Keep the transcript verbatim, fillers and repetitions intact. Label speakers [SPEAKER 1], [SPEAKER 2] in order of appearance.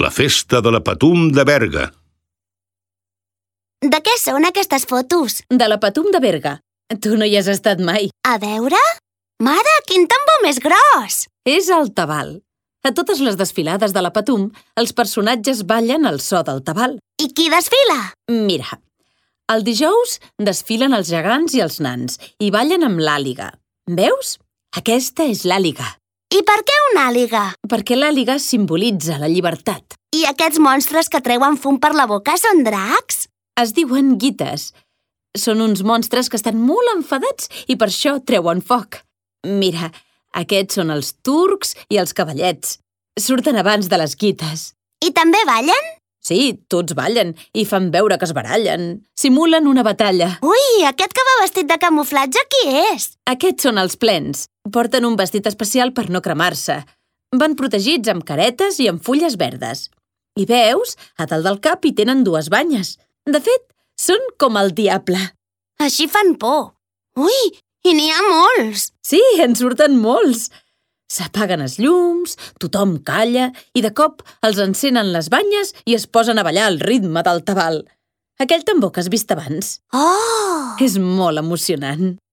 [SPEAKER 1] La festa de la Patum de Berga.
[SPEAKER 2] De què són aquestes fotos?
[SPEAKER 3] De la Patum de Berga. Tu no hi has estat mai.
[SPEAKER 2] A veure? Mare, quin tambor més gros!
[SPEAKER 3] És el tabal. A totes les desfilades de la Patum, els personatges ballen al so del tabal.
[SPEAKER 2] I qui desfila?
[SPEAKER 3] Mira, el dijous desfilen els gegants i els nans i ballen amb l'àliga. Veus? Aquesta és l'àliga.
[SPEAKER 2] I per què una àliga?
[SPEAKER 3] Perquè l'àliga simbolitza la llibertat.
[SPEAKER 2] I aquests monstres que treuen fum per la boca són dracs?
[SPEAKER 3] Es diuen guites. Són uns monstres que estan molt enfadats i per això treuen foc. Mira, aquests són els turcs i els cavallets. Surten abans de les guites.
[SPEAKER 2] I també ballen?
[SPEAKER 3] Sí, tots ballen i fan veure que es barallen. Simulen una batalla.
[SPEAKER 2] Ui, aquest que va vestit de camuflatge qui és?
[SPEAKER 3] Aquests són els plens. Porten un vestit especial per no cremar-se. Van protegits amb caretes i amb fulles verdes. I veus, a dalt del cap hi tenen dues banyes. De fet, són com el diable.
[SPEAKER 2] Així fan por. Ui, i n'hi ha molts.
[SPEAKER 3] Sí, en surten molts. S'apaguen els llums, tothom calla i de cop els encenen les banyes i es posen a ballar al ritme del tabal. Aquell tambor que has vist abans.
[SPEAKER 2] Oh!
[SPEAKER 3] És molt emocionant.